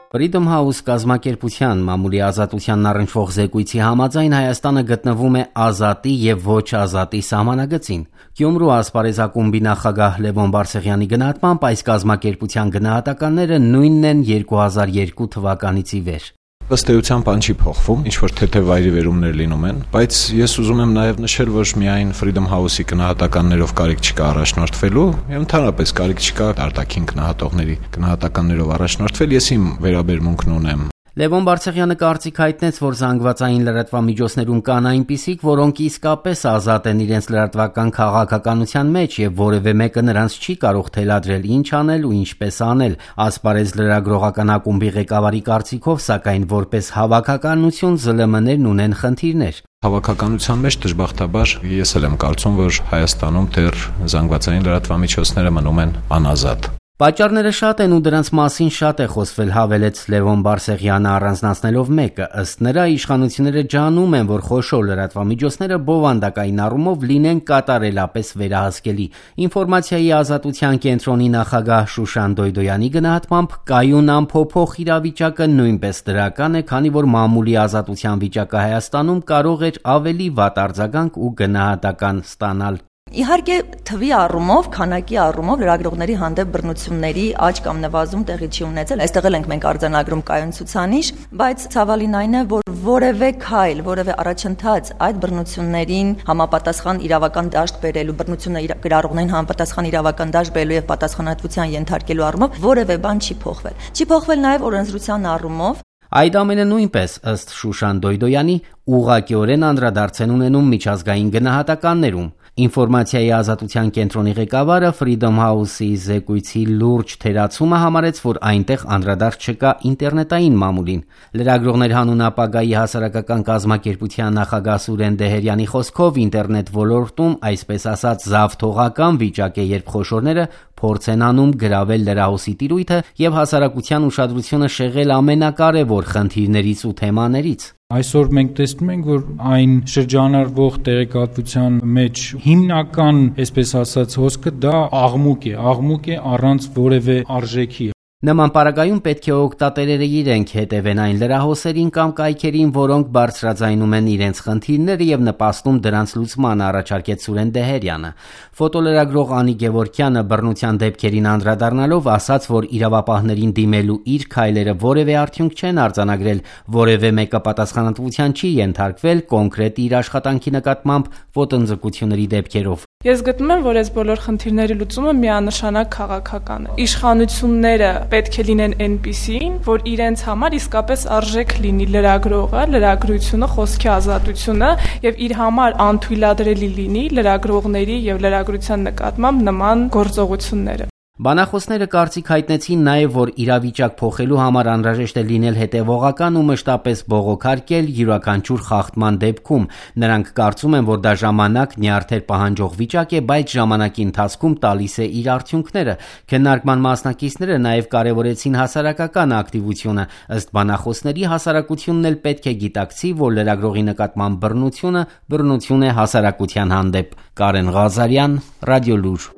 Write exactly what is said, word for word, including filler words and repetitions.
Freedom House կազմակերպության մամուլի ազատությանն առնչվող զեկույցի համաձայն Հայաստանը գտնվում է ազատի եւ ոչ ազատի սահմանագծին։ Գյումրու ասպարեզ ակումբի նախագահ Լևոն Բարսեղյանի գնահատմամբ այս կազմակերպության գնահատականները նույնն են երկու հազար երկու թվականից ի վեր։ Ըստ էության բան չի փոխվում, ինչ որ թեթև վայրիվերումներ լինում են, բայց ես ուզում եմ նաև նշել, որ միայն Freedom House-ի գնահատականներով կարիք չկա առաջնորդվելու, եւ ընդհանրապես կարիք չկա արտաքին գնահատողների գնահատականներով առաջնորդվել, ես իմ վերաբերմունքն ունեմ։ Լևոն Բարսեղյանը կարծիք հայտնեց, որ զանգվածային լրատվամիջոցներում կան այնպիսիք, որոնք իսկապես ազատ են իրենց լրատվական քաղաքականության մեջ եւ որևէ մեկը նրանց չի կարող թելադրել ինչ անել ու ինչպես անել։ Ասպարեզ լրագրողական ակումբի ղեկավարի կարծիքով, սակայն որպես հավաքականություն զլ էմ էներն ունեն խնդիրներ։ Հավաքականության մեջ դժբախտաբար ես էլ եմ կարծում, որ Հայաստանում դեռ զանգվածային լրատվամիջոցները մնում են անազատ։ Պատճառները շատ են ու դրանց մասին շատ է խոսվել, հավելեց Լևոն Բարսեղյանը առանձնացնելով մեկը, ըստ նրա իշխանությունները ջանում են, որ խոշոր լրատվամիջոցները բովանդակային առումով լինեն կատարելապես վերահսկելի։ Ինֆորմացիայի ազատության կենտրոնի նախագահ Շուշան Դոյդոյանի գնահատմամբ կայուն անփոփոխ իրավիճակը նույնպես դրական է, քանի որ մամուլի ազատության վիճակը Հայաստանում կարող էր ավելի վատ արձագանք ու գնահատական ստանալ։ Իհարկե թվի առումով, քանակի առումով լրագրողների հանդեպ բռնությունների աճ կամ նվազում տեղի չի ունեցել։ Այստեղ էլ ենք մենք արձանագրում կայուն ցուցանիշ, բայց ցավալին այն է, որ որևէ քայլ, որևէ առաջընթաց այդ բռնություններին համապատասխան իրավական դաշտ բերելու, բռնությունը գրառողներին համապատասխան իրավական դաշտ բերելու եւ պատասխանատվության ենթարկելու առումով որևէ բան չի փոխվել։ Չի փոխվել նաեւ օրենսդրության առումով։ Այդ ամենը նույնպես, ըստ Շուշան Դոյդոյանի, ուղղակիորեն անդրադարձ են ունենում միջազգային գնահատականներում։ Ինֆորմացիայի ազատության կենտրոնի ղեկավարը Freedom House-ի զեկույցի լուրջ թերացումը համարեց, որ այնտեղ անդրադարձ չկա ինտերնետային մամուլին։ Լրագրողներ հանուն ապագայի հասարակական կազմակերպության նախագահ Սուրեն Դեհերյանի խոսքով ինտերնետ ոլորտում այսպես ասած զավթողական վիճակ է, երբ խոշորները փորձ են անում գրավել լրահոսի տիրույթը եւ հասարակության ուշադրությունը շեղել ամենակարևոր խնդիրներից ու թեմաներից։ Այսօր մենք տեսնում ենք, որ այն շրջանառվող տեղեկատվության մեջ հիմնական, այսպես ասած, հոսքը դա աղմուկ է, աղմուկ է առանց որևէ արժեքի։ Նման պարագայում պետք է օգտատերերը իրենք հետևեն այն լրահոսերին կամ կայքերին, որոնք բարձրաձայնում են իրենց խնդիրները եւ նպաստում դրանց լուծմանը, առաջարկեց Սուրեն Դեհերյանը։ Ֆոտոլրագրող Անի Գևորգյանը բռնության դեպքերին անդրադառնալով ասաց, որ իրավապահներին դիմելու իր քայլերը որևէ արդյունք չեն արձանագրել, որևէ մեկը պատասխանատվության չի ենթարկվել կոնկրետ իր աշխատանքի նկատմամբ ոտնձգությունների դեպքերով։ Ես գտնում եմ, որ այս բոլոր խնդիրների լուծումը միանշանակ քաղաքական է։ Իշխանությունները պետք է լինեն այնպիսին, որ իրենց համար իսկապես արժեք լինի լրագրողը, լրագրությունը, խոսքի ազատությունը եւ իր համար անթույլատրելի լինի լրագրողների եւ լրագրության նկատմամբ նման գործողությունները։ Բանախոսները կարծիք հայտնեցին նաև, որ իրավիճակ փոխելու համար անհրաժեշտ է լինել հետևողական ու մշտապես բողոքարկել յուրաքանչյուր խախտման դեպքում։ Նրանք կարծում են, որ դա ժամանակ նյարդեր պահանջող վիճակ է, բայց ժամանակի ընթացքում տալիս է իր արդյունքները։ Քննարկման մասնակիցները նաև կարևորեցին հասարակական ակտիվությունը։ Ըստ բանախոսների, հասարակությունն էլ պետք է գիտակցի, որ լրագրողի նկատմամբ բռնությունը բռնություն է հասարակության հանդեպ։ Կարեն Ղազարյան, Ռադիոլուր։